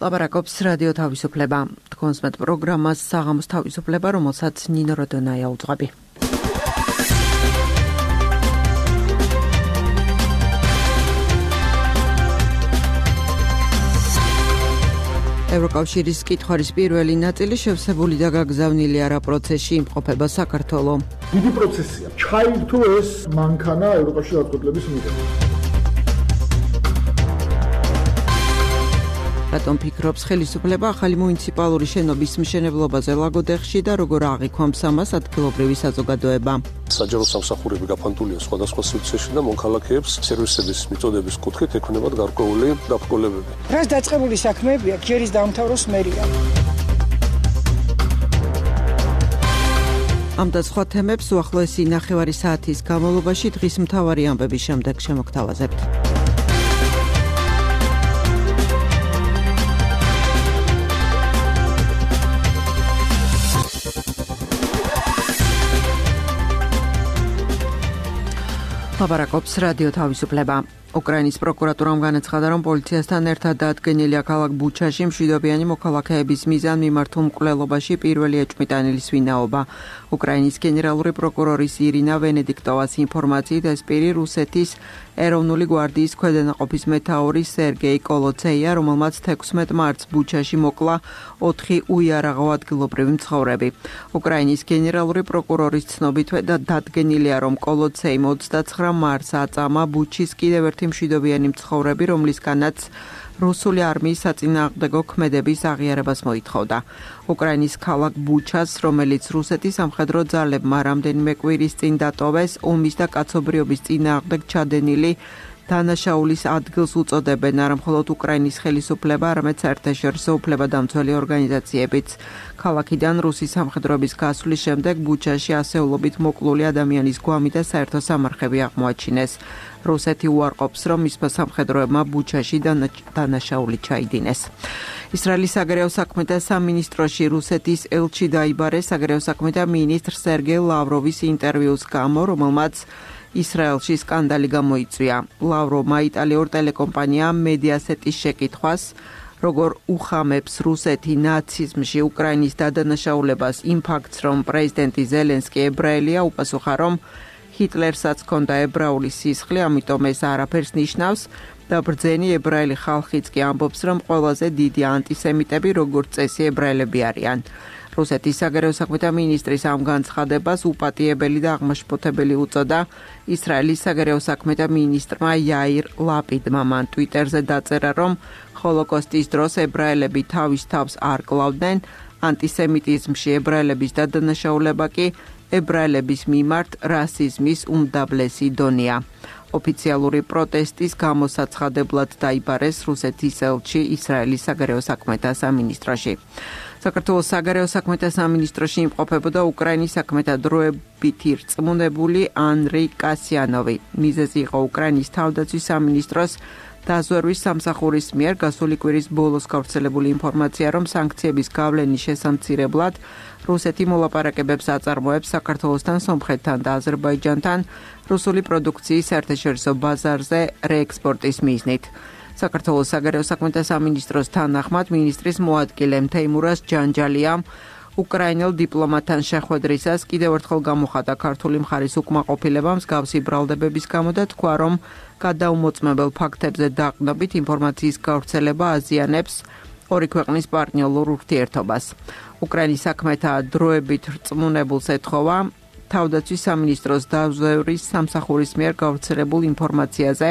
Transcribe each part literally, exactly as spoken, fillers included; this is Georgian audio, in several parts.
ლაპარაკობს რადიო თავისუფლება. თქვენს მეტ პროგრამას საღამოს თავისუფლება, რომელსაც ნინო როდონაია უძღვები. ევროკავშირის კითხვარის პირველი ნაწილი შევსებული და გაგზავნილი არა პროცესში იმყოფება საქართველოს. დიდი პროცესია. ჩაირთო ეს მანქანა ევროკავშირის გადაწყვეტილების მიღება. რატომ ფიქრობს ხელისუფლება ახალი მუნიციპალური შენობის მშენებლობაზე ლაგოდეხში და როგორ აღიქვამს ამას ადგილობრივი საზოგადოება? საჯარო სამსახურები გაფანტულია სხვადასხვა სივრცეში და მონქალაქეებს სერვისების მიწოდების კუთხით ექნებათ გარკვეული დაბრკოლებები. რას დაწყებული საქმეებია ჯერის დაამთავროს მერია. ამ და სხვა თემებს უახლოესი ნახევარი საათის განმავლობაში დღის მთავარი ამბების შემდეგ შემოგთავაზებთ. ლაპარაკობს რადიო თავისუფლება. უკრაინის პროკურატურამ განაცხადა, რომ პოლიციასთან ერთად დადგენილია ქალაქ ბუჩაში მშვიდობიანი მოქალაქეების მიზან მიმართულ მკვლელობაში პირველი ეჭვმიტანილის ვინაობა. უკრაინის გენერალური პროკურორის ირინა ვენედიქტოვას ინფორმაციით ეს პირი რუსეთის ეროვნული გვარდიის ქვედანაყოფის მეთაური სერგეი კოლოცეია, რომელმაც თექვსმეტ მარტს ბუჩაში მოკლა ოთხი უიარაღო ადგილობრივი მცხოვრები. უკრაინის გენერალური პროკურორის ცნობითვე და დადგენილია, რომ კოლოცეიმ ოცდაცხრა მარტს აწამა ბუჩის კიდევ ერთი მშვიდობიანი მცხოვრები, რომლისგანაც რუსული არმიის საწინააღმდეგო ქმედების აღიარებას მოითხოვდა. უკრაინის ქალაქ ბუჩას, რომელიც რუსეთის სამხედრო ძალებმა რამდენიმე კვირის წინ დატოვეს, ომის და კაცობრიობის წინააღმდეგ ჩადენილი დანაშაულის ადგილს უწოდებენ არა მხოლოდ უკრაინის ხელისუფლება, არამედ საერთაშორისო უფლებადამცველი ორგანიზაციებიც. ქალაქიდან რუსის სამხედროების გასვლის შემდეგ ბუჩაში ასეულობით მოკლული ადამიანის გვამი და საერთო სამარხები აღმოაჩინეს. რუსეთი უარყოფს, რომ მისმა სამხედროებმა ბუჩაში დანაშაული ჩაიდინეს. ისრაელის საგარეო საქმეთა სამინისტროში რუსეთის ელჩი დაიბარეს საგარეო საქმეთა მინისტრ სერგეი ლავროვის ინტერვიუს გამო, რომელმაც ისრაელში სკანდალი გამოიწვია. ლავროვმა იტალიურ ტელეკომპანია მედიასეტის შეკითხვას, როგორ უხამებს რუსეთი ნაციზმში უკრაინის დადანაშაულებას იმ ფაქტს, რომ პრეზიდენტი ზელენსკი ებრაელია, უპასუხა, რომ ჰიტლერსაც ჰქონდა ებრაული სისხლი, ამიტომ ეს არაფერს ნიშნავს და ბრძენი ებრაელი ხალხიც კი ამბობს, რომ ყველაზე დიდი ანტისემიტები როგორც წესი ებრაელები არიან. რუსეთის საგარეო საქმეთა მინისტრის ამ განცხადებას უპატიებელი და აღმაშფოთებელი უწოდა ისრაელის საგარეო საქმეთა მინისტრმა იაირ ლაპიდმა. მან ტვიტერზე დაწერა, რომ ჰოლოკოსტის დროს ებრაელები თავის თავს არ კლავდნენ, ანტისემიტიზმში ებრაელების დადანაშაულება კი ებრაელების მიმართ რასიზმის უმდაბლესი დონეა. ოფიციალური პროტესტის გამოსაცხადებლად დაიბარეს რუსეთის ელჩი ისრაელის საგარეო საქმეთა სამინისტროში. საქართველოს საგარეო საქმეთა სამინისტროში იმყოფებოდა უკრაინის საქმეთა დროებითი რწმუნებული ანრი კასიანოვი. მიზეზი იყო უკრაინის თავდაცვის სამინისტროს დაზვერვის სამსახურის მიერ გასული კვირის ბოლოს გავრცელებული ინფორმაცია, რომ სანქციების გავლენის შესამცირებლად რუსეთი მოლაპარაკებებს აწარმოებს საქართველოსთან, სომხეთთან და აზერბაიჯანთან რუსული პროდუქციის საერთაშორისო ბაზარზე რეექსპორტის მიზნით. საქართველოს საგარეო საქმეთა სამინისტროს თანახმად მინისტრის მოადგილე თეიმურაზ ჯანჯალიამ უკრაინელ დიპლომატთან შეხვედრისას კიდევ ერთხელ გამოხატა ქართული მხარის უკმაყოფილება მსგავსი ბრალდებების გამო და თქვა, რომ გადაუმოწმებელ ფაქტებზე დაყრდნობით ინფორმაციის გავრცელება აზიანებს ორი ქვეყნის პარტნიორულ ურთიერთობას. უკრაინის საქმეთა დროებით რწმუნებულს ეთხოვა თავდაცვის სამინისტროს დაზვერვის სამსახურის მიერ გავრცელებულ ინფორმაციაზე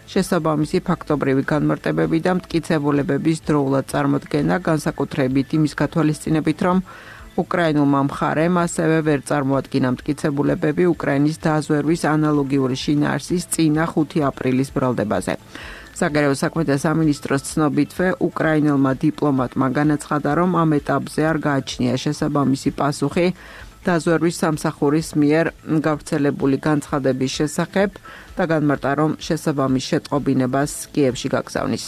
შესაბამისი ფაქტობრივი განმარტებები და მტკიცებულებების დროულად წარმოდგენა, განსაკუთრებით იმის გათვალისწინებით, რომ უკრაინულმა მხარემ ასევე ვერ წარმოადგინა მტკიცებულებები უკრაინის დაზვერვის ანალოგიური შინაარსის წინა ხუთი აპრილის ბრალდებაზე. საგარეო საქმეთა სამინისტროს ცნობითვე უკრაინელმა დიპლომატმა განაცხადა, რომ ამ ეტაპზე არ გააჩნია შესაბამისი პასუხი დაზვერვის სამსახურის მიერ გავრცელებული განცხადების შესახებ და განმარტა, რომ შესაბამის შეტყობინებას კიევში გაგზავნის.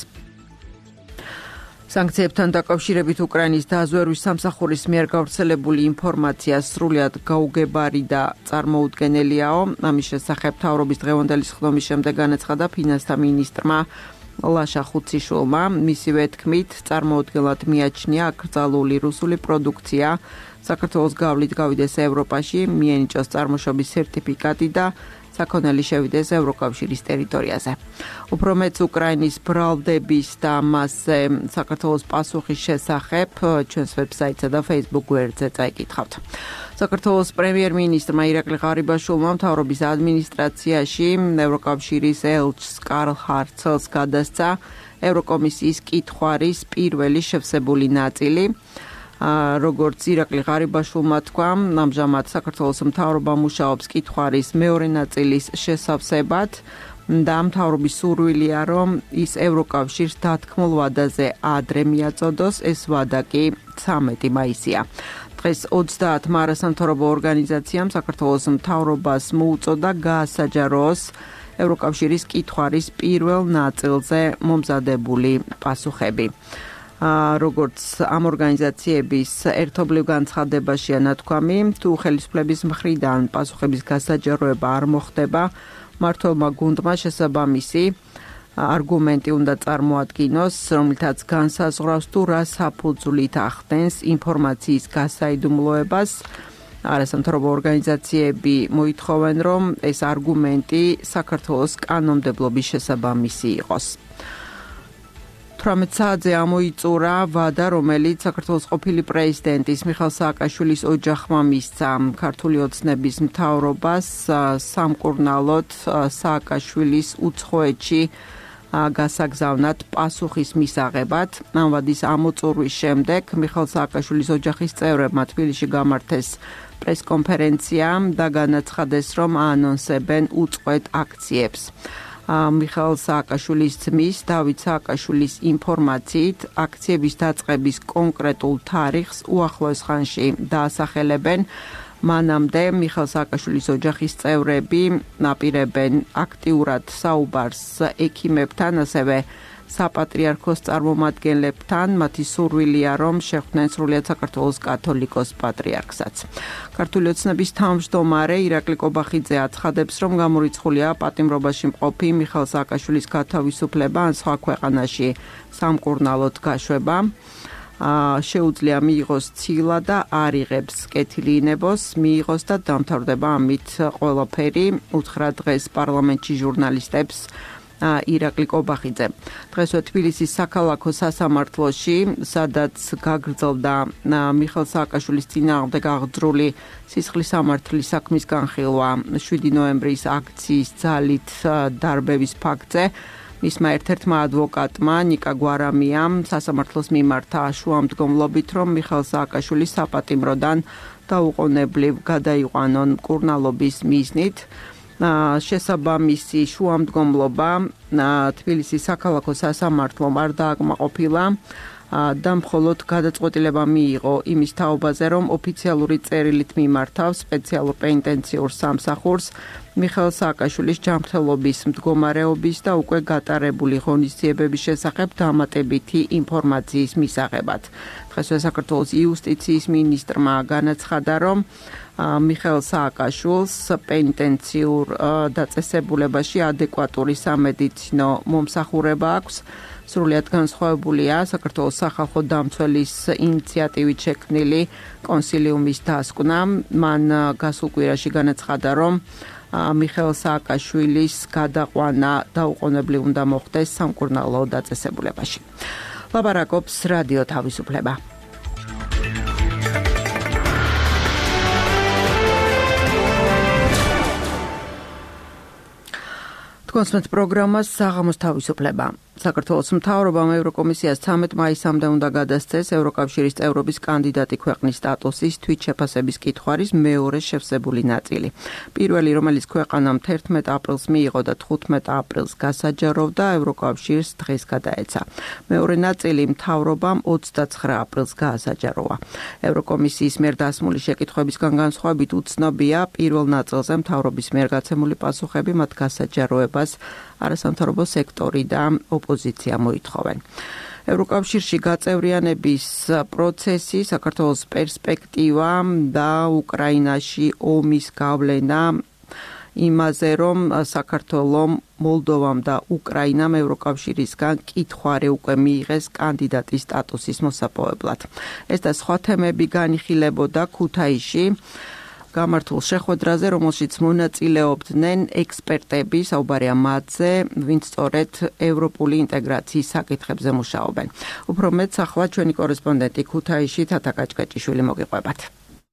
სანქციებთან დაკავშირებით უკრაინის დაზვერვის სამსახურის მიერ გავრცელებული ინფორმაცია სრულად გაუგებარი და წარმოუდგენელიაო. ამის შესახებ მთავრობის დღევანდელი სხდომის შემდეგ განაცხადა ფინანსთა მინისტრმა ლაშა ხუციშვილმა. მისივე თქმით, წარმოუდგენლად მიაჩნია აკრძალული რუსული პროდუქცია საქართველოს გავლით გავიდეს ევროპაში, მიენიჭოს წარმოშობის სერტიფიკატი და საქონელი შევიდეს ევროკავშირის ტერიტორიაზე. უფრო მეც უკრაინის ბრალდების და მასზე საქართველოს პასუხის შესახებ ჩვენს ვებსაიტსა და Facebook გვერდზე წაიკითხავთ. საქართველოს პრემიერ-მინისტრმა ირაკლი ღარიბაშვილმა მთავრობის ადმინისტრაციაში ევროკავშირის ელჩს კარლ ჰარცელს გადასცა ევროკომისიის კითხვარის პირველი შევსებული ნაწილი. როგორც ირაკლი ღარიბაშვილმა თქვა, ამჟამად საქართველოს მთავრობა მუშაობს კითხვარის მეორე ნაწილის შესავსებად და მთავრობის სურვილია, რომ ის ევროკავშირს დათქმულ ვადაზე ადრე მიაწოდოს, ეს ვადა კი ცამეტი მაისია. დღეს ოცდაათმა არასამთავრობო ორგანიზაციამ საქართველოს მთავრობას მოუწოდა გაასაჯაროოს ევროკავშირის კითხვარის პირველ ნაწილზე მომზადებული პასუხები. როგორც ამ ორგანიზაციების ერთობლივ განცხადებაშია ნათქვამი, თუ ხელისუფლების მხრიდან პასუხების გასაჯაროება არ მოხდება, მმართველმა გუნდმა შესაბამისი არგუმენტი უნდა წარმოადგინოს, რომლითაც განსაზღვრავს თუ რა საფუძვლით ახდენს ინფორმაციის გასაიდუმლოებას. არასამთავრობო ორგანიზაციები მოითხოვენ, რომ ეს არგუმენტი საქართველოს კანონმდებლობის შესაბამისი იყოს. თვრამეტ საათზე ამოიწურა ვადა, რომელიც საქართველოს ყოფილი პრეზიდენტის მიხეილ სააკაშვილის ოჯახმა მისცა ქართული ოცნების მთავრობას სამკურნალოდ სააკაშვილის უცხოეთში გასაგზავნად პასუხის მისაღებად. ამ ვადის ამოწურვის შემდეგ მიხეილ სააკაშვილის ოჯახის წევრებმა თბილისში გამართეს პრესკონფერენცია და განაცხადეს, რომ აანონსებენ უწყვეტ აქციებს. მიხეილ სააკაშვილის ძმის დავით სააკაშვილის ინფორმაციით, აქციების დაწყების კონკრეტულ თარიღს უახლოეს ხანში დაასახელებენ. მანამდე მიხეილ სააკაშვილის ოჯახის წევრები აპირებენ აქტიურად საუბარს ექიმებთან, ასევე საპატრიარქოს წარმომადგენლებთან. მათი სურვილია, რომ შეხვდნენ სრულიად საქართველოს კათოლიკოს პატრიარქსაც. ქართული ოცნების თავმჯდომარე ირაკლი კობახიძე აცხადებს, რომ გამორიცხულია პატიმრობაში მყოფი მიხეილ სააკაშვილის გათავისუფლება ან სხვა ქვეყანაში სამკურნალოდ გაშვება. შეუძლია მიიღოს ცილა და არ იღებს კეთილინებოს, მიიღოს და დამთავრდება ამით ყველაფერი, უთხრა დღეს პარლამენტში ჟურნალისტებს ირაკლი კობახიძე. დღესვე თბილისის საქალაქო სასამართლოში, სადაც გაგრძელდა მიხეილ სააკაშვილის წინააღმდეგ აღძრული სისხლის სამართლის საქმის განხილვა შვიდი ნოემბრის აქციის ძალით დარბევის ფაქტზე, მისმა ერთ-ერთმა ადვოკატმა ნიკა გვარამიამ სასამართლოს მიმართა შუამდგომლობით, რომ მიხეილ სააკაშვილის საპატიმროდან დაუყოვნებლივ გადაიყვანონ მკურნალობის მიზნით. შესაბამისი შუამდგომლობა თბილისის საქალაქო სასამართლომ არ დააკმაყოფილა და მხოლოდ გადაწყვეტილება მიიღო იმის თაობაზე, რომ ოფიციალური წერილით მიმართავს სპეციალურ პენიტენციურ სამსახურს მიხეილ სააკაშვილის ჯანმრთელობის მდგომარეობის და უკვე გატარებული ღონისძიებების შესახებ დამატებითი ინფორმაციის მისაღებად. დღესვე საქართველოს იუსტიციის მინისტრმა განაცხადა, რომ მიხეილ სააკაშვილს პენიტენციურ დაწესებულებაში ადეკვატური სამედიცინო მომსახურება აქვს. სრულიად განსხვავებულია საქართველოს სახალხო დამცველის ინიციატივით შექმნილი კონსილიუმის დასკვნა. მან გასულ კვირაში განაცხადა, რომ მიხეილ სააკაშვილის გადაყვანა დაუყოვნებლივ უნდა მოხდეს სამკურნალო დაწესებულებაში. ლაპარაკობს რადიო თავისუფლება. თქვენს პროგრამას საღამოს თავისუფლება. საქართველოს მთავრობამ ევროკომისიას ცამეტ მაისამდე უნდა გადასცეს ევროკავშირის წევრობის კანდიდატი ქვეყნის სტატუსის თვითშეფასების კითხვარის მეორე შევსებული ნაწილი. პირველი, რომელიც ქვეყანამ თერთმეტ აპრილს მიიღო და თხუთმეტ აპრილს გასაჯაროვდა, ევროკავშირს დღეს გადაეცა. მეორე ნაწილი მთავრობამ ოცდაცხრა აპრილს გაასაჯაროვა. ევროკომისიის მიერ დასმული შეკითხვებისგან განსხვავებით უცნობია პირველ ნაწილზე მთავრობის მიერ გაცემული პასუხები მათ გასაჯაროებას არასამთავრობო სექტორი და ოპოზიცია მოითხოვენ. ევროკავშირში გაწევრიანების პროცესი, საქართველოს პერსპექტივა და უკრაინაში ომის გავლენა იმაზე, რომ საქართველომ, მოლდოვამ და უკრაინამ ევროკავშირისგან კითხვარი უკვე მიიღეს კანდიდატის სტატუსის მოსაპოვებლად. ეს და სხვა თემები განიხილებოდა ქუთაისში გამართულ შეხვედრაზე, რომელშიც მონაწილეობდნენ ექსპერტები, საუბარია მათზე, ვინც სწორედ ევროპული ინტეგრაციის საკითხებზე მუშაობენ. უფრო მეტს ახლა ჩვენი კორესპონდენტი ქუთაისში თათა კაჭკაჭიშვილი მოგიყვებათ.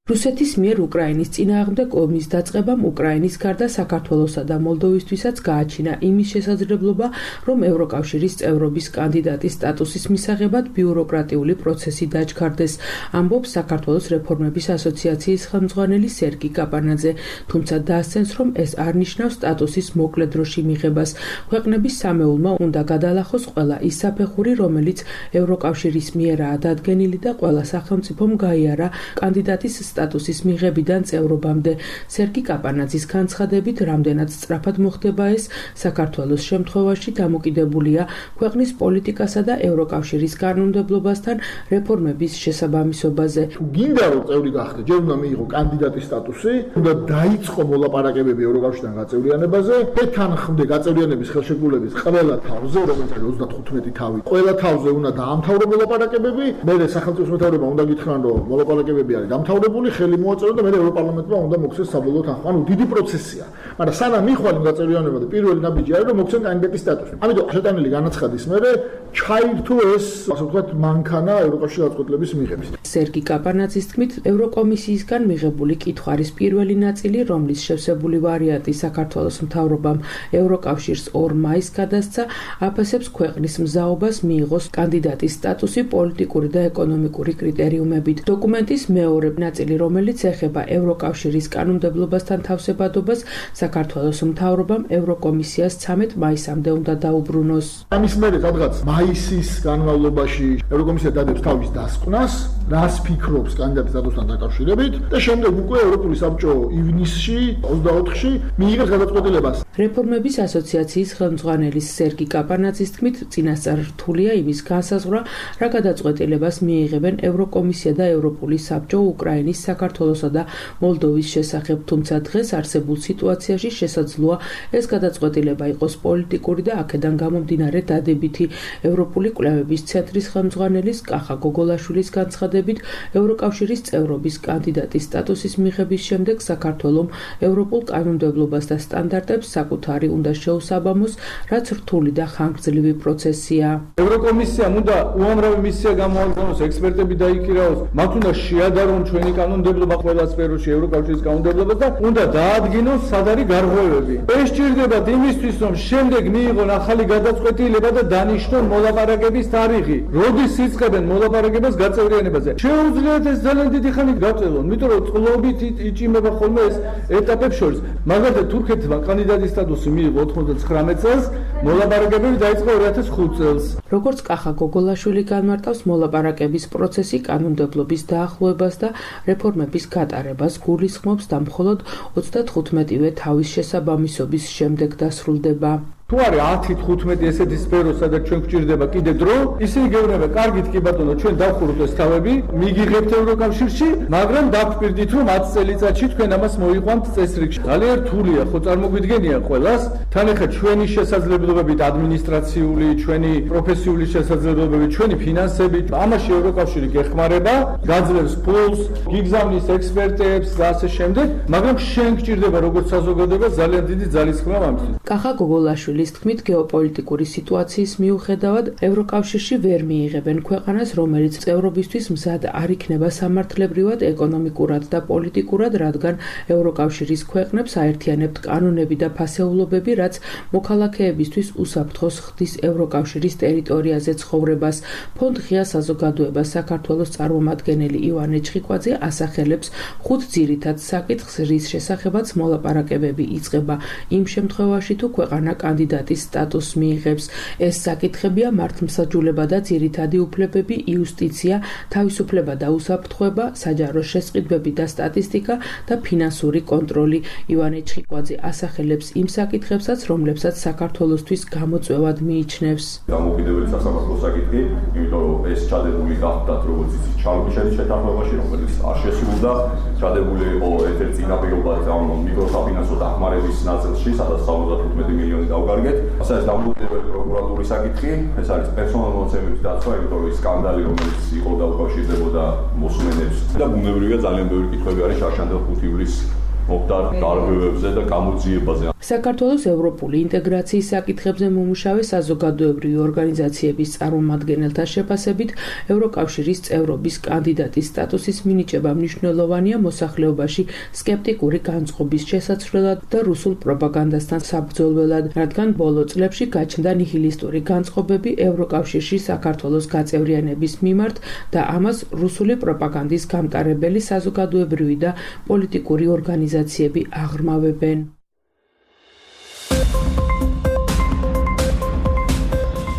რუსეთის მიერ უკრაინის წინააღმდეგ ომის დაწყებამ უკრაინის გარდა საქართველოსა და მოლდოვისთვისაც გააჩინა იმის შესაძლებლობა, რომ ევროკავშირის წევრობის კანდიდატის სტატუსის მისაღებად ბიუროკრატიული პროცესი დაჩქარდეს, ამბობს საქართველოს რეფორმების ასოციაციის ხელმძღვანელი სერგი კაპანაძე, თუმცა დაასცენს, რომ ეს არ ნიშნავს სტატუსის მოკლე დროში მიღებას. ქვეყნების სამეულმა უნდა გადალახოს ყველა ის საფეხური, რომელიც ევროკავშირის მიერაა დადგენილი და ყველა სახელმწიფომ გაიარა კანდიდატის სტატუსის მიღებიდან წევრობამდე. სერგი კაპანაძის განცხადებით, რამდენად სწრაფად მოხდება ეს, საქართველოს შემთხვევაში დამოკიდებულია ქვეყნის პოლიტიკასა და ევროკავშირის კანონმდებლობასთან რეფორმების შესაბამისობაზე. გინდა რომ წევრი გახდე, ჯერ უნდა მიიღო კანდიდატის სტატუსი, უნდა დაიწყო მოლაპარაკებები ევროკავშირთან გაწევრიანებაზე, თანხმდე გაწევრიანების ხელშეკრულების ყველა თავზე, რომელიც არის ოცდათხუთმეტი თავი. ყველა თავზე უნდა დაამთავრო მოლაპარაკებები, მერე სახელმწიფოს მეთაურებმა უნდა გითხრან, რომ მოლაპარაკებები არის დამთავრებული, ხელი მოაწერო და მერე ევროპარლამენტმა უნდა მოხდეს საბოლოო თანხმა. ანუ დიდი პროცესია. მაგრამ სანამ მიხვალ გაწევრიანება და პირველი ნაბიჯი არის, რომ მოხდეს კანდიდატის სტატუსი. ამიტომ შეტანილი განაცხადის მერე ჩაირთო ეს, ასე ვთქვათ, მანქანა ევროკავშირის გადაწყვეტილების მიღების. სერგი კაპანაძის თქმით, ევროკომისიისგან მიღებული კითხვის პირველი ნაწილი, რომლის შევსებული ვარიანტი საქართველოს მთავრობამ ევროკავშირს ორ მაისს გადასცა, აფასებს ქვეყნის მზაობას მიიღოს კანდიდატის სტატუსი პოლიტიკური და ეკონომიკური კრიტერიუმებით. დოკუმენტის მეორე ნაწილი, რომელიც ეხება ევროკავშირის კანონმდებლობასთან თავსებადობას, საქართველოს მთავრობამ ევროკომისიას ცამეტ მაისამდე უნდა დაუბრუნოს. ამის მერე სადღაც მაისის განმავლობაში ევროკომისია დადებს თავის დასკვნას, რას ფიქრობს კანდიდატის სტატუსთან დაკავშირებით და შემდეგ უკვე ევროპული საბჭო ივნისში, ოცდაოთხში მიიღებს გადაწყვეტილებას. რეფორმების ასოციაციის ხელმძღვანელის სერგი კაპანაძის თქმით, წინასწარ რთულია იმის განსაზღვრა, რა გადაწყვეტილებას მიიღებენ ევროკომისია და ევროპული საბჭო უკრაინის, საქართველოსა და მოლდოვის შესახებ, თუმცა დღეს არსებულ სიტუაციაში შესაძლოა ეს გადაწყვეტილება იყოს პოლიტიკური და აქედან გამომდინარე დადებითი. ევროპული კვლევების ცენტრის ხელმძღვანელის კახა გოგოლაშვილის განცხადებით, ევროკავშირის წევრობის კანდიდატის სტატუსის მიღების შემდეგ საქართველომ ევროპულ კანონმდებლობას და სტანდარტებს საკუთარი უნდა შეუსაბამოს, რაც რთული და ხანგრძლივი პროცესია. ევროკომისიამ უნდა უამრავი მისია გამოაგზავნოს, ექსპერტები დაიქირაოს, მათ უნდა შეადარონ ჩვენი კანონმდებლობა ყველა სფეროში ევროკავშირის კანონმდებლობას და უნდა დაადგინოს სად არის გარღვევები. ეს სჭირდებათ იმისთვის, რომ შემდეგ მიიღონ ახალი გადაწყვეტილება და დანიშნონ მოლაპარაკების თარიღი. როდის იწყებენ მოლაპარაკებას გაწევრიანებაზე? შეუძლიათ ეს ძალიან დიდი ხანი გაწევონ, იმიტომ რომ წყლობით იჭიმება ხოლმე ეს ეტაპებს შორის. მაგალითად, თურქეთმა კანდიდატის სტატუსი მიიღო ოცდათხმეტ წელს, მოლაპარაკებები დაიწყო ორი ათას ხუთ წელს. როგორც კახა გოგოლაშვილი განმარტავს, მოლაპარაკების პროცესი კანონმდებლობის დაახლოებას და რეფორმების გატარებას გულისხმობს და მხოლოდ ოცდათხუთმეტივე თავის შესაბამისობის შემდეგ დასრულდება. თუ არის ათი თხუთმეტი ესეთი სფერო, სადაც ჩვენ გვჭირდება კიდე დრო, ისინი გეუბნება, კარგით კი ბატონო, ჩვენ დავხუროთ ეს თავები, მიგიღებთ ევროკავშირში, მაგრამ დაგვპირდით, რომ ათი წელიწადში თქვენ ამას მოიყვანთ წესრიგში. ძალიან რთულია, ხო წარმოგვიდგენია ყველას, თან ახლა ჩვენი შესაძლებლობებით ადმინისტრაციული, ჩვენი პროფესიული შესაძლებლობებით, ჩვენი ფინანსებით, ამაში ევროკავშირი გეხმარება, გაძლევს ფულს, გიგზავნის ექსპერტებს და ასე შემდეგ, მაგრამ შენ გჭირდება როგორც საზოგადოება ძალიან დიდი ძალისხმევა ამისთვის. კახა გოგოლაშვილი ის თქმით, გეოპოლიტიკური სიტუაციის მიუხედავად ევროკავშირში ვერ მიიღებენ ქვეყანას, რომელიც წევრობისთვის მზად არ იქნება სამართლებრივად, ეკონომიკურად და პოლიტიკურად, რადგან ევროკავშირის ქვეყნებს აერთიანებთ კანონები და ფასეულობები, რაც მოქალაქეებისთვის უსაფრთხოს ხდის ევროკავშირის ტერიტორიაზე ცხოვრებას. ფონდ ღია საზოგადოება საქართველოს წარმომადგენელი ივანე ჩხიკვაძე ასახელებს ხუთ ძირითად საკითხს, რის შესახებაც მოლაპარაკებები იწყება იმ შემთხვევაში, თუ ქვეყანა კანდიდატი კანდიდატის სტატუსს მიიღებს. ეს საკითხებია მართლმსაჯულება და ძირითადი უფლებები, იუსტიცია, თავისუფლება და უსაფრთხოება, საჯარო შესყიდვები და სტატისტიკა და ფინანსური კონტროლი. ივანე ჩხიკვაძე ასახელებს იმ საკითხებსაც, რომლებსაც საქართველოსთვის გამოწვევად მიიჩნევს. დამოუკიდებელი სასამართლო საკითხი, იმიტომ რომ ეს ჩადებული გახდათ როგორც იცი ჩალკიშერის შეთანხმებაში, რომელიც არ შესრულდა, ჩადებული იყო ერთ-ერთ წინაპირობად ამ მიკროსაფინანსო დახმარების ნაწილში, სადაც სამოცდათხუთმეტი მილიონი დავგარგეთ. ასე ეს დამოუკიდებელი პროკურატურის საკითხი, ეს არის პერსონალურ დაცვა, იმიტომ რომ ის სკანდალი, რომელიც იყო და უკავშირდებოდა მოსმენებს და ბუნებრივია ძალიან ბევრი კითხვები არის შარშანდელ ხუთი ივლისს მოხდა დარღვევებზე და გამოძიებაზე. საქართველოს ევროპული ინტეგრაციის საკითხებზე მომუშავე საზოგადოებრივი ორგანიზაციების წარმომადგენელთა შეფასებით, ევროკავშირის წევრობის კანდიდატის სტატუსის მინიჭება მნიშვნელოვანია მოსახლეობაში სკეპტიკური განწყობის შესაცვლელად და რუსულ პროპაგანდასთან საბრძოლველად, რადგან ბოლო წლებში გაჩნდა ნიჰილისტური განწყობები ევროკავშირში საქართველოს გაწევრიანების მიმართ და ამას რუსული პროპაგანდის გამტარებელი საზოგადოებრივი და პოლიტიკური ორგანიზაციები აღრმავებენ.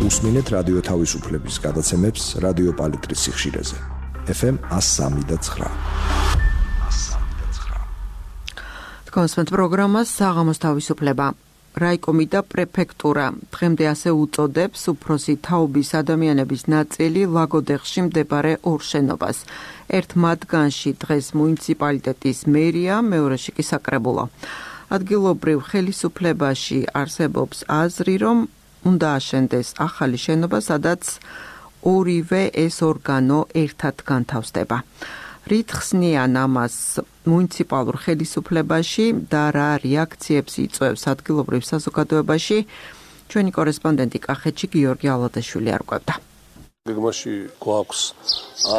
უსმინეთ რადიო თავისუფლების გადაცემებს რადიო პალიტრის სიხშირეზე. ეფ ემ one oh three point nine. თქვენს პროგრამას საღამოს თავისუფლება. რაიკომი და პრეფექტურა დღემდე ასე უწოდებს უფროსი თაობის ადამიანების ნაწილი ლაგოდეხში მდებარე ორ შენობას. ერთ მათგანში დღეს მუნიციპალიტეტის მერია, მეორეში კი საკრებულო. ადგილობრივ ხელისუფლებაში არსებობს აზრი, რომ უნდა აშენდეს ახალი შენობა, სადაც ორივე ეს ორგანო ერთად განთავსდება. რით ხსნიან ამას მუნიციპალურ ხელისუფლებაში და რა რეაქციებს იწვევს ადგილობრივ საზოგადოებაში, ჩვენი კორესპონდენტი კახეთში გიორგი ალოდაშვილი არკვევდა. გეგმაში გვაქვს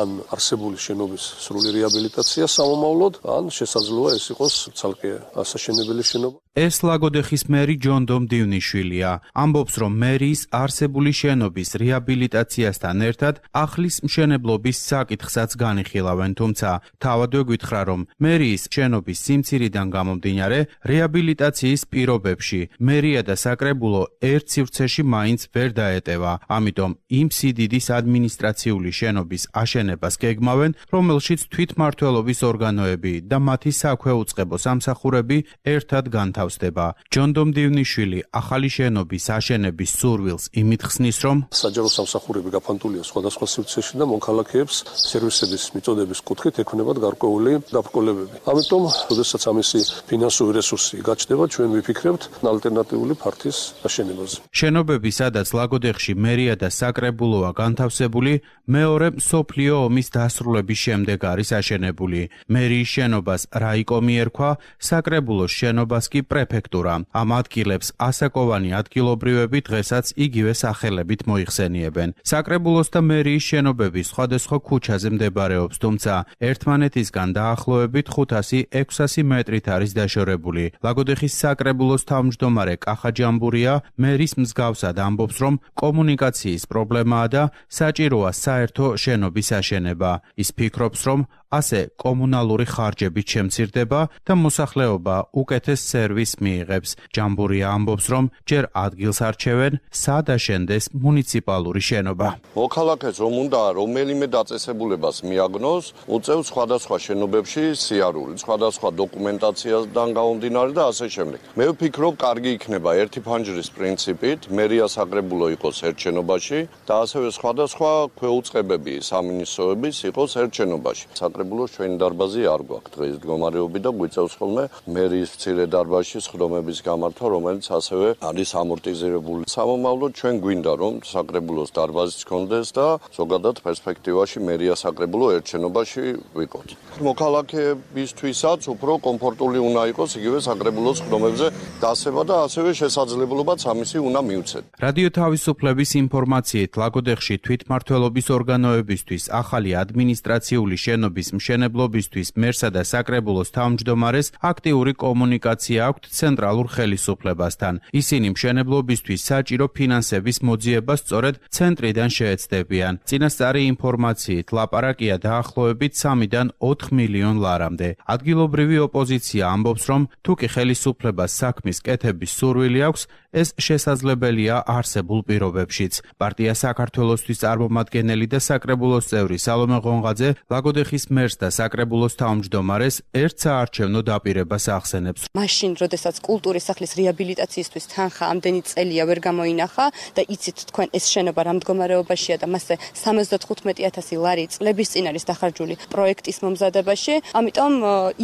ან არსებული შენობის სრული რეაბილიტაცია სამომავლოდ, ან შესაძლოა ეს იყოს ცალკე ასაშენებელი შენობა. ეს ლაგოდეხის მერი ჯონ დომდივნიშვილია. ამბობს, რომ მერიის არსებული შენობის რეაბილიტაციასთან ერთად ახლის მშენებლობის საკითხსაც განიხილავენ, თუმცა თავადვე გითხრა, რომ მერიის შენობის სიმცირიდან გამომდინარე რეაბილიტაციის პირობებში მერია და საკრებულო ერთ სივრცეში მაინც ვერ დაეტევა. ამიტომ იმ სიდიდის ადმინისტრაციული შენობის აშენებას გეგმავენ, რომელშიც თვითმმართველობის ორგანოები და მათი საქვეუწყებო სამსახურები ერთად განთავსდება. ჯონ დომდივნიშვილი ახალი შენობის აშენების სურვილს იმით ხსნის, რომ საჯარო სამსახურები გაფანტულია სხვადასხვა სივრცეში და მონქალაქეებს სერვისების მიწოდების კუთხით ექნებათ გარკვეული დაბრკოლებები. ამიტომ, როდესაც ამისი ფინანსური რესურსი გაჩნდება, ჩვენ ვიფიქრებთ ალტერნატიული ფართის აშენებაზე. შენობები, სადაც ლაგოდეხში მერია და საკრებულოა განთავსებული, მეორე მსოფლიო ომის დასრულების შემდეგ არის აშენებული. მერიის შენობას რაიკომი ერქვა, საკრებულოს შენობას კი პრეფექტურა. ამ ადგილებს ასაკოვანი ადგილობრივები დღესაც იგივე სახელებით მოიხსენიებენ. საკრებულოს და მერიის შენობები სხვადასხვა ქუჩაზე მდებარეობს, თუმცა ერთმანეთისგან დაახლოებით ხუთასი ექვსასი მეტრით არის დაშორებული. ლაგოდეხის საკრებულოს თავმჯდომარე კახა ჯამბურია მერის მსგავსად ამბობს, რომ კომუნიკაციის პრობლემაა და საჭიროა საერთო შენობის აშენება. ის ფიქრობს, რომ ასე კომუნალური ხარჯები შემცირდება და მოსახლეობა უკეთეს სერვისს მიიღებს. ჯამბურია ამბობს, რომ ჯერ ადგილს არჩევენ, სად აშენდეს მუნიციპალური შენობა. მოქალაქეს რომ უნდა რომელიმე დაწესებულებას მიაგნოს, უწევს სხვადასხვა შენობებში სიარული, სხვადასხვა დოკუმენტაციასთან გამომდინარე და ასე შემდეგ. მე ვფიქრობ, კარგი იქნება ერთი ფანჯრის პრინციპით, მერია საკრებულო იყოს ერთ შენობაში და ასევე სხვადასხვა ქვეუწყებები, სამინისტროების იყოს ერთ შენობაში. საკრებულოს ჩვენი დარბაზი არ გვაქვს დღეს მდგომარეობი და გვიწევს ხოლმე მერიის მცირე დარბაზში სხდომების გამართვა, რომელიც ასევე არის ამორტიზირებული. სამომავლოდ ჩვენ გვინდა რომ საკრებულოს დარბაზიც გქონდეს და ზოგადად პერსპექტივაში მერია საკრებულო ერთ შენობაში ვიყოთ. მოქალაქეებისთვისაც უფრო კომფორტული უნდა იყოს იგივე საკრებულოს სხდომებზე დასება და ასევე შესაძლებლობაც ამისი უნდა მიუცეთ. რადიო თავისუფლების ინფორმაციით ლაგოდეხში თვითმმართველობის ორგანოებისთვის ახალი ადმინისტრაციული შენობის სხდომის მშენებლობისთვის მერსა და საკრებულოს თავმჯდომარეს აქტიური კომუნიკაცია აქვთ ცენტრალურ ხელისუფლებასთან. ისინი მშენებლობისთვის საჭირო ფინანსების მოძიებას სწორედ ცენტრიდან შეეცდებიან. წინასწარი ინფორმაციით ლაპარაკია დაახლოებით სამიდან ოთხ მილიონ ლარამდე. ადგილობრივი ოპოზიცია ამბობს, რომ თუ კი ხელისუფლებას საქმის კეთების სურვილი აქვს, ეს შესაძლებელია არსებულ პირობებშიც. პარტია საქართველოსთვის წარმომადგენელი და საკრებულოს წევრი სალომე ღონღაძე ლაგოდეხის მერს და საკრებულოს თავმჯდომარეს ერთ საარჩევნო დაპირებას ახსენებს. მაშინ, როდესაც კულტურის სახლის რეაბილიტაციისთვის თანხა ამდენი წელია ვერ გამოინახა და იცით თქვენ ეს შენობა რა მდგომარეობაშია და მასზე სამოცდათხუთმეტი ათასი ლარი წლების წინ არის დახარჯული პროექტის მომზადებაში. ამიტომ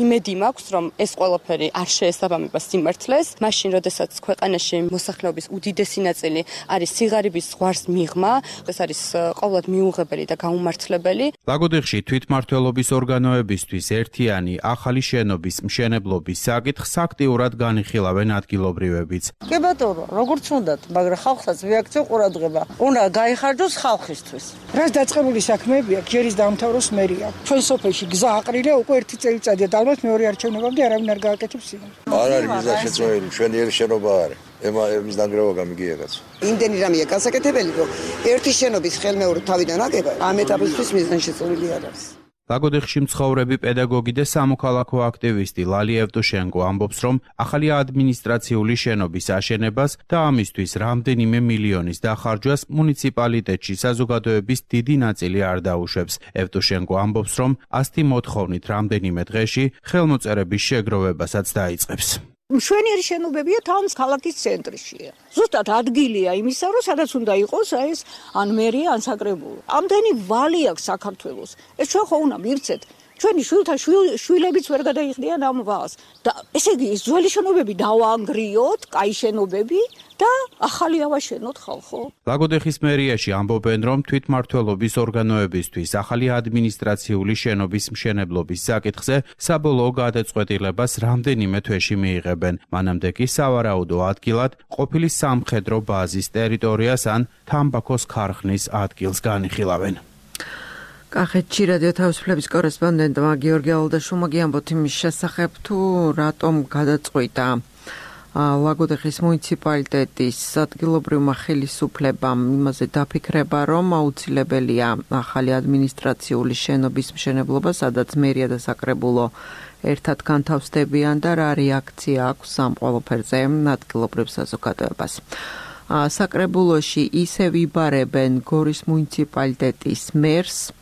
იმედი მაქვს, რომ ეს ყველაფერი არ შეესაბამება სიმართლეს. მაშინ, როდესაც ქვეყანაში მოსახლეობის უდიდესი ნაწილი არის სიღარიბის ზღვარს მიღმა, ეს არის ყოველად მიუღებელი და გაუმართლებელი. ლაგოდეხში თვითმმართველობის ორგანოებისთვის ერთიანი ახალი შენობის მშენებლობის საკითხს აქტიურად განიხილავენ ადგილობრივებიც. კი ბატონო, როგორც უნდათ, მაგრამ ხალხსაც მიაქცევ ყურადღება. უნდა გაიხარჯოს ხალხისთვის. რაც დაწყებული საქმეებია, ჯერის დაამთავროს მერია. ჩვენ სოფელში გზა აყრილია უკვე ერთი წელიწადია და ალბათ მეორე არჩევნებამდე არავინ არ გააკეთებს იმას. არ არის გზა შეწყვეტილი, მშვენიერი შენობა არის. ემა ემის დანგრევა გამიგიებაც. იმდენი რამეა გასაკეთებელი, რომ ერთი შენობის ხელმეორე თავიდან აკება, ამ ეტაპისთვის მიზანშეწონილი არ არის. ლაგოდეხში მცხოვრები პედაგოგი და სამოქალაქო აქტივისტი ლალი ევტუშენკო ამბობს, რომ ახალი ადმინისტრაციული შენობის აშენებას და ამისთვის რამდენიმე მილიონის დახარჯვას მუნიციპალიტეტში საზოგადოების დიდი ნაწილი არ დაუშვებს. ევტუშენკო ამბობს, რომ ასეთი მოთხოვნით რამდენიმე დღეში ხელმოწერების შეგროვებასაც დაიწყებს. მშვენიერი შენობებია თავს ქალაქის ცენტრშია. ზუსტად ადგილია იმისა, რომ სადაც უნდა იყოს ეს ან მერია, ან საკრებულო. ამდენი ვალი აქვს საქართველოს. ეს ჩვენ ხო უნდა მივცეთ. ჩვენი შვილთა შვილებიც ვერ გადაიხდიან ამ ვალს. და ესე იგი, ეს ძველი შენობები დავაანგრიოთ, კაი შენობები და ახალი ავაშენოთ ხალხო. ლაგოდეხის მერიაში ამბობენ, რომ თვითმმართველობის ორგანოებისთვის ახალი ადმინისტრაციული შენობის მშენებლობის საკითხზე საბოლოო გადაწყვეტილებას რამდენიმე თვეში მიიღებენ. მანამდე კი სავარაუდო ადგილად ყოფილი სამხედრო ბაზის ტერიტორიას ან თამბაქოს ქარხნის ადგილს განიხილავენ. კახეთში რადიო თავისუფლების კორესპონდენტმა გიორგი ალდაშუმა გიამბოთ იმის შესახებ, თუ რატომ გადაწყვიტა ლაგოდეხის მუნიციპალიტეტის ადგილობრივმა ხელისუფლებამ იმაზე დაფიქრება, რომ აუცილებელია ახალი ადმინისტრაციული შენობის მშენებლობა, სადაც მერია და საკრებულო ერთად განთავსდებიან და რა რეაქცია აქვს ამ ყველაფერზე ადგილობრივ საზოგადოებას. საკრებულოში ისევ იბარებენ გორის მუნიციპალიტეტის მერს.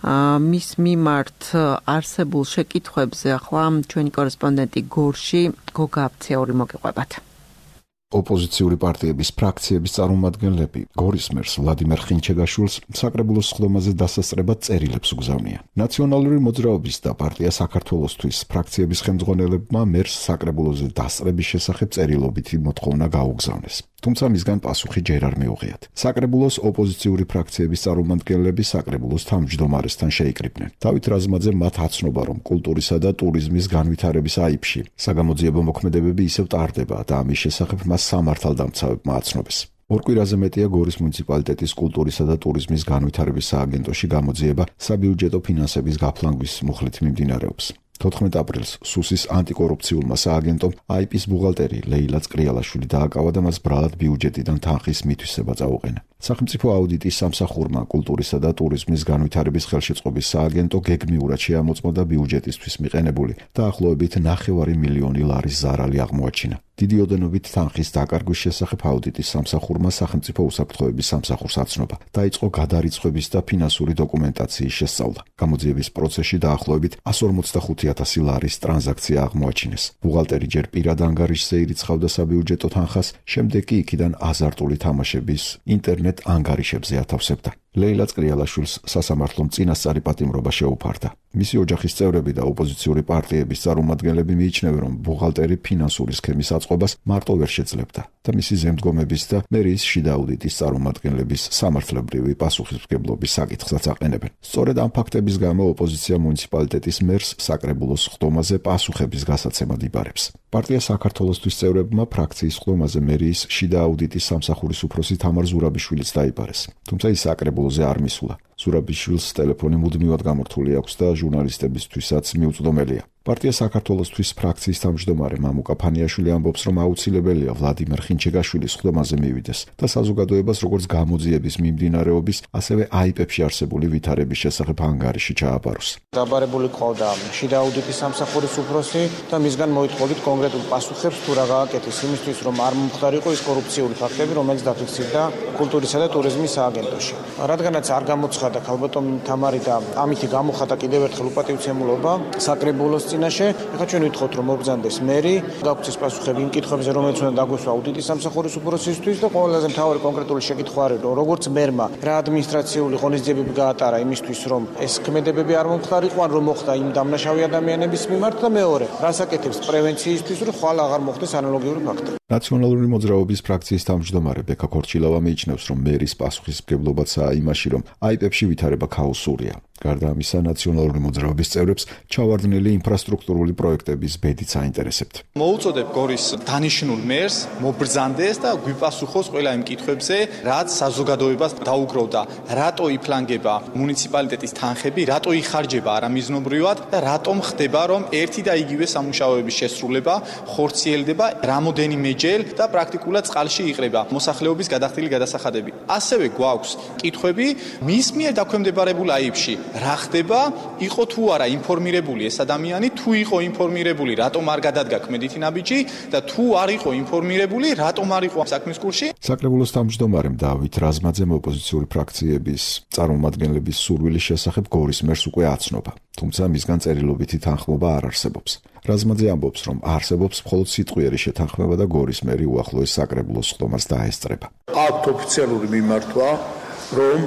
მის მიმართ არსებულ შეკითხვებზე ახლა ჩვენი კორესპონდენტი გორში გოგა აფციური მოგიყვებათ. ოპოზიციური პარტიების ფრაქციების წარმომადგენლები გორის მერს ვლადიმერ ხინჩეგაშვილს საკრებულოს სხდომაზე დასასწრებად წერილებს უგზავნიან. ნაციონალური მოძრაობის და პარტია საქართველოსთვის ფრაქციების ხელმძღვანელებმა მერს საკრებულოზე დასწრების შესახებ წერილობითი მოთხოვნა გაუგზავნეს. თუმცა მისგან პასუხი ჯერ არ მიუღიათ. საკრებულოს ოპოზიციური ფრაქციების წარმომადგენლები საკრებულოს თავმჯდომარესთან შეიკრიბნენ. დავით რაზმაძე მათ აცნობა, რომ კულტურისა და ტურიზმის განვითარების აიფში საგამოძიებო მოქმედებები ისევ ტარდება და ამის შესახებ მას სამართალდამცავებმა აცნობეს. ორ კვირაზე მეტია გორის მუნიციპალიტეტის კულტურისა და ტურიზმის განვითარების სააგენტოში გამოძიება საბიუჯეტო ფინანსების გაფლანგვის მუხლით მიმდინარეობს. თოთხმეტ აპრილს სუსის ანტიკორუფციულმა სააგენტომ აიპის ბუღალტერი ლეილა წკრიალაშვილი დააკავა და მას ბრალად ბიუჯეტიდან თანხის მითვისება წაუყენა. სახელმწიფო აუდიტის სამსახურმა კულტურისა და ტურიზმის განვითარების ხელშეწყობის სააგენტო გეგმიურად შეამოწმოდა ბიუჯეტისთვის მიყენებული დაახლოებით ნახევარი მილიონი ლარის ზარალი აღმოაჩინა. დიდი ოდენობით თანხის დაკარგვის შესახებ აუდიტის სამსახურმა სახელმწიფო უსაფრთხოების სამსახურს აცნობა. დაიწყო გადარიცხვების და ფინანსური დოკუმენტაციის შესწავლა. გამოძიების პროცესში დაახლოებით εκατს ორმოცდახუთი ათასი ლარის ტრანზაქცია აღმოაჩინეს. ბუღალტერი ჯერ პირად ანგარიშზე ირიცხავდა საბიუჯეტო თანხას, შემდეგ კი იქიდან აზარტული თამაშების ინტერნეტ ანგარიშებზე ათავსებდა. ლეილა წკრიალაშვილს სასამართლომ წინასწარი პატიმრობა შეუფარდა. მისი ოჯახის წევრები და ოპოზიციური პარტიების წარმომადგენლები მიიჩნევენ, რომ ბუღალტერი ფინანსური სქემის აწყობას მარტო ვერ შეძლებდა და მისი ზემდგომების და მერიის შიდა აუდიტის წარმომადგენლების სამართლებრივი პასუხისმგებლობის საკითხსაც აყენებენ. სწორედ ამ ფაქტების გამო ოპოზიცია მუნიციპალიტეტის მერს საკრებულოს სხდომაზე პასუხების გასაცემად იბარებს. პარტია საქართველოსთვის წევრებმა ფრაქციის სხდომაზე მერიის შიდა აუდიტის სამსახურის უფროსი თამარ ზურაბიშვილიც დაიბარეს. თუმცა ის საკრებულოზე არ მისულა. ზურაბიშვილს ტელეფონი მუდმივად გამორთული აქვს და ჟურნალისტებისთვისაც მიუწვდომელია. პარტია საქართველოსთვის ფრაქციის თავმჯდომარე მამუკა ფანიაშვილი ამბობს, რომ აუცილებელია ვლადიმერ ხინჩეგაშვილის ხდომაზე მივიდეს და საზოგადოებას როგორც გამოძიების მიმდინარეობის, ასევე აიპებში არსებული ვითარების შესახებ ანგარიში ჩააბაროს. დაბარებული ყავდა შიდა აუდიტის სამსახურის უფროსი და მისგან მოითხოვით კონკრეტულ პასუხებს თუ რა გააკეთეს იმისთვის, რომ არ მომხდარიყო ის კორუფციული ფაქტები, რომელიც დაფიქსირდა კულტურისა და ტურიზმის სააგენტოში. რადგანაც არ გამოცხადა ქალბატონ თამარი და ამითი გამოხატა კიდევ ერთხელ უპატივცემულობა საკრებულოს წინაშე, ეხლა ჩვენ ვითხოვთ, რომ მობრძანდეს მერი, გაგვცეს პასუხები იმ კითხვებზე, რომელიც უნდა დაგვესვა აუდიტის სამსახურის უფროსისთვის და ყველაზე მთავარი კონკრეტული შეკითხვა არის, რომ როგორც მერმა რა ადმინისტრაციული ღონისძიებები გაატარა იმისთვის, რომ ეს ქმედებები არ მომხდარიყო, ან რომ მოხდა იმ დამნაშავე ადამიანების მიმართ და მეორე, რას აკეთებს პრევენციისთვის, რომ ხვალ აღარ მოხდეს ანალოგიური ფაქტი. ნაციონალური მოძრაობის ფრაქციის თავმჯდომარე ბექა ქორჩილავა მიიჩნევს, რომ მერის პასუხისმგებლობაცაა იმაში, რომ აიპებში ვითარება ქაოსურია. გარდა ამისა, ნაციონალური მოძრაობის წევრებს ჩავარდნილი ინფრასტრუქტურული პროექტების ბედიც აინტერესებთ. მოუწოდებ გორის დანიშნულ მერს მობრძანდეს და გვიპასუხოს ყველა იმ კითხვებზე, რაც საზოგადოებას დაუგროვდა. რატო იფლანგება მუნიციპალიტეტის თანხები, რატო იხარჯება არამიზნობრივად და რატომ ხდება, რომ ერთი და იგივე სამუშაოების შესრულება ხორციელდება რამოდენიმეჯერ და პრაქტიკულად წყალში იყრება მოსახლეობის გადახდილი გადასახადები. ასევე გვაქვს კითხვები მის მიერ დაქვემდებარებულ აიპში. რა ხდება, იყო თუ არა ინფორმირებული ეს ადამიანი, თუ იყო ინფორმირებული, რატომ არ გადადგა ქმედითი ნაბიჯი და თუ არ იყო ინფორმირებული, რატომ არ იყო საქმის კურსში? საკრებულოს თავმჯდომარემ დავით რაზმაძემ ოპოზიციური ფრაქციების წარმომადგენლების სურვილის შესახებ გორის მერს უკვე აცნობა, თუმცა მისგან წერილობითი თანხმობა არ არსებობს. რაზმაძე ამბობს, რომ არსებობს მხოლოდ სიტყვიერი შეთანხმება და გორის მერი უახლოეს საკრებულოს ხდომას დაესწრება. აქვთ ოფიციალური მიმართვა, რომ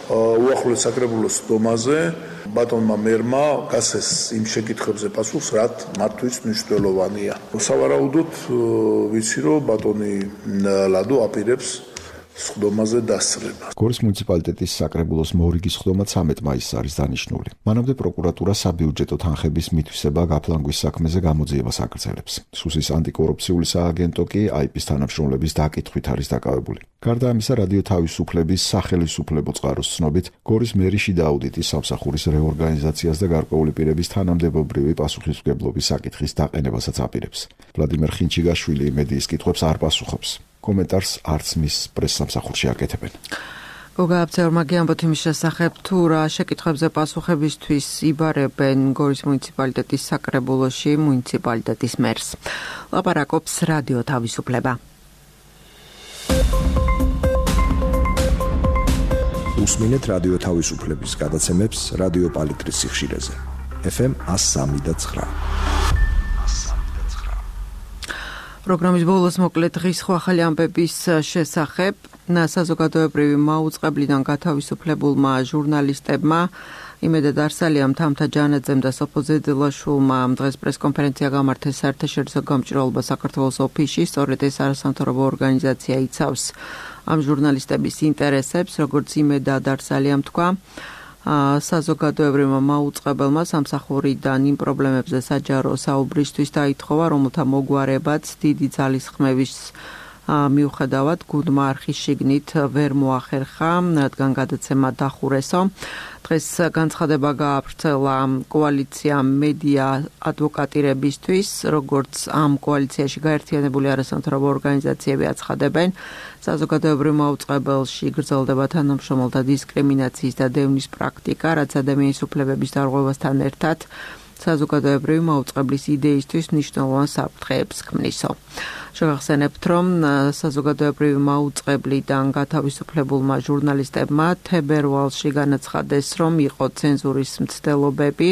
უახლოეს საკრებულოს ხდომაზე ბატონმა მერმა გასცეს იმ შეკითხვებზე პასუხს, რაც მართვით მნიშვნელოვანია. სავარაუდოდ ვიცი, რომ ბატონი ლადო აპირებს ხდომაზე დასწრება. გორის მუნიციპალიტეტის საკრებულოს მორიგის ხდომა ცამეტ მაისს არის დანიშნული. მანამდე პროკურატურა საბიუჯეტო თანხების მითვისება გაფლანგვის საქმეზე გამოძიებას აგრძელებს. სუსის ანტიკორუფციული სააგენტო კი აიპის თანამშრომლების დაკითხვით არის დაკავებული. გარდა ამისა, რადიო თავისუფლების სახელისუფლებო წყაროს ცნობით, გორის მერი შიდა აუდიტის სამსახურის რეორგანიზაციას და გარკვეული პირების თანამდებობრივი პასუხისმგებლობის საკითხის დაყენებასაც აპირებს. ვლადიმერ ხინჩეგაშვილი მედიის კითხვებს არ პასუხობს. კომენტარს არც მის პრესსამსახურში აკეთებენ. გოგა აბცეურმაგი ამბობთ იმის შესახებ, თუ რა შეკითხვებზე პასუხებისთვის იბარებენ გორის მუნიციპალიტეტის საკრებულოში მუნიციპალიტეტის მერს. ლაპარაკობს რადიო თავისუფლება. უსმინეთ რადიო თავისუფლების გადაცემებს რადიო პალიტრის სიხშირეზე. ეფ ემ one oh three point nine. პროგრამის ბოლოს მოკლედ დღის სხვა ახალი ამბების შესახებ. საზოგადოებრივი მაუწყებლიდან გათავისუფლებულმა ჟურნალისტებმა იმედად არსალიამ თამთა ჯანაძემ და სოფო ზედილაშვილმა დღეს პრესკონფერენცია გამართეს საერთაშორისო გამჭვირვალობა საქართველოს ოფისში, სწორედ ეს არასამთავრობო ორგანიზაცია იცავს ამ ჟურნალისტების ინტერესებს, როგორც იმედად არსალიამ თქვა. საზოგადოებრივმა მაუწყებელმა სამსახურიდან იმ პრობლემებზე საჯარო საუბრისთვის დაითხოვა, რომელთა მოგვარებაც დიდი ძალისხმევის მიუხედავად გუნდმა არხის შიგნით ვერ მოახერხა, რადგან გადაცემა დახურესო. დღეს განცხადება გაავრცელა კოალიციამ მედია ადვოკატირებისთვის, როგორც ამ კოალიციაში გაერთიანებული არასამთავრობო ორგანიზაციები აცხადებენ, საზოგადოებრივ მაუწყებელში გრძელდება თანამშრომელთა დისკრიმინაციის და დევნის პრაქტიკა, რაც ადამიანის უფლებების დარღვევასთან ერთად საზოგადოებრივი მაუწყებლის იდეისთვის მნიშვნელოვან საფრთხეებს ქმნისო. შევახსენებთ, რომ საზოგადოებრივი მაუწყებლიდან გათავისუფლებულმა ჟურნალისტებმა თებერვალში განაცხადეს, რომ იყო ცენზურის მცდელობები,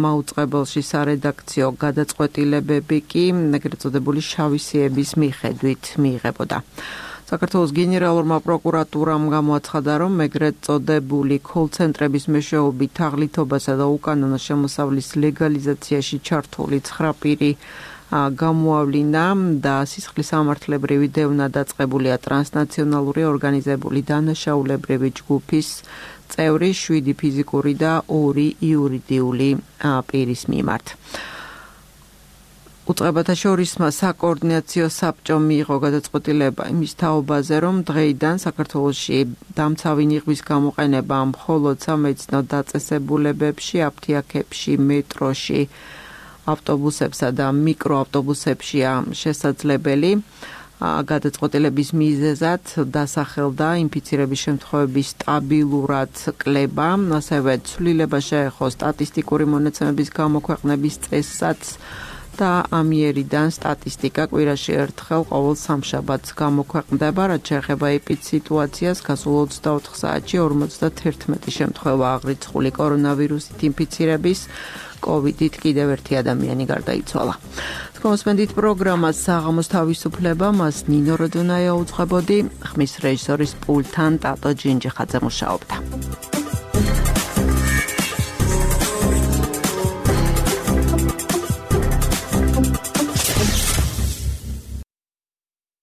მაუწყებელში სარედაქციო გადაწყვეტილებები კი ეგრეთ წოდებული შავი სიების მიხედვით მიიღებოდა. საქართველოს გენერალურმა პროკურატურამ გამოაცხადა, რომ ეგრეთ წოდებული კოლ-ცენტრების მეშვეობით თაღლითობასა და უკანონო შემოსავლის ლეგალიზაციაში ჩართული ცხრა პირი გამოავლინა და სისხლის სამართლებრივი დევნა დაწყებულია ტრანსნაციონალური ორგანიზებული დანაშაულებრივი ჯგუფის წევრი შვიდი ფიზიკური და ორი იურიდიული პირის მიმართ. უწყებათა შორისმა საკოორდინაციო საბჭომ მიიღო გადაწყვეტილება იმის თაობაზე, რომ დღეიდან საქართველოში დამცავი ნიღბის გამოყენება მხოლოდ სამედიცინო დაწესებულებებში, აფთიაქებში, მეტროში, ავტობუსებსა და მიკროავტობუსებშია შესაძლებელი. გადაწყვეტილების მიზეზად დასახელდა ინფიცირების შემთხვევების სტაბილურად კლება, ასევე ცვლილება შეეხო სტატისტიკური მონაცემების გამოქვეყნების წესსაც და ამიერიდან სტატისტიკა კვირაში ერთხელ ყოველ სამშაბათს გამოქვეყნდება, რაც შეეხება ეპიდსიტუაციას, გასულ ოცდაოთხ საათში ორმოცდათერთმეტი შემთხვევა აღრიცხული კორონავირუსით ინფიცირების, კოვიდით კიდევ ერთი ადამიანი გარდაიცვალა. მოსმენდით პროგრამას საღამოს თავისუფლება, მას ნინო როდონაია უძღვებოდი, ხმის რეჟისორის პულტთან ტატო ჯინჯიხაძე მუშაობდა.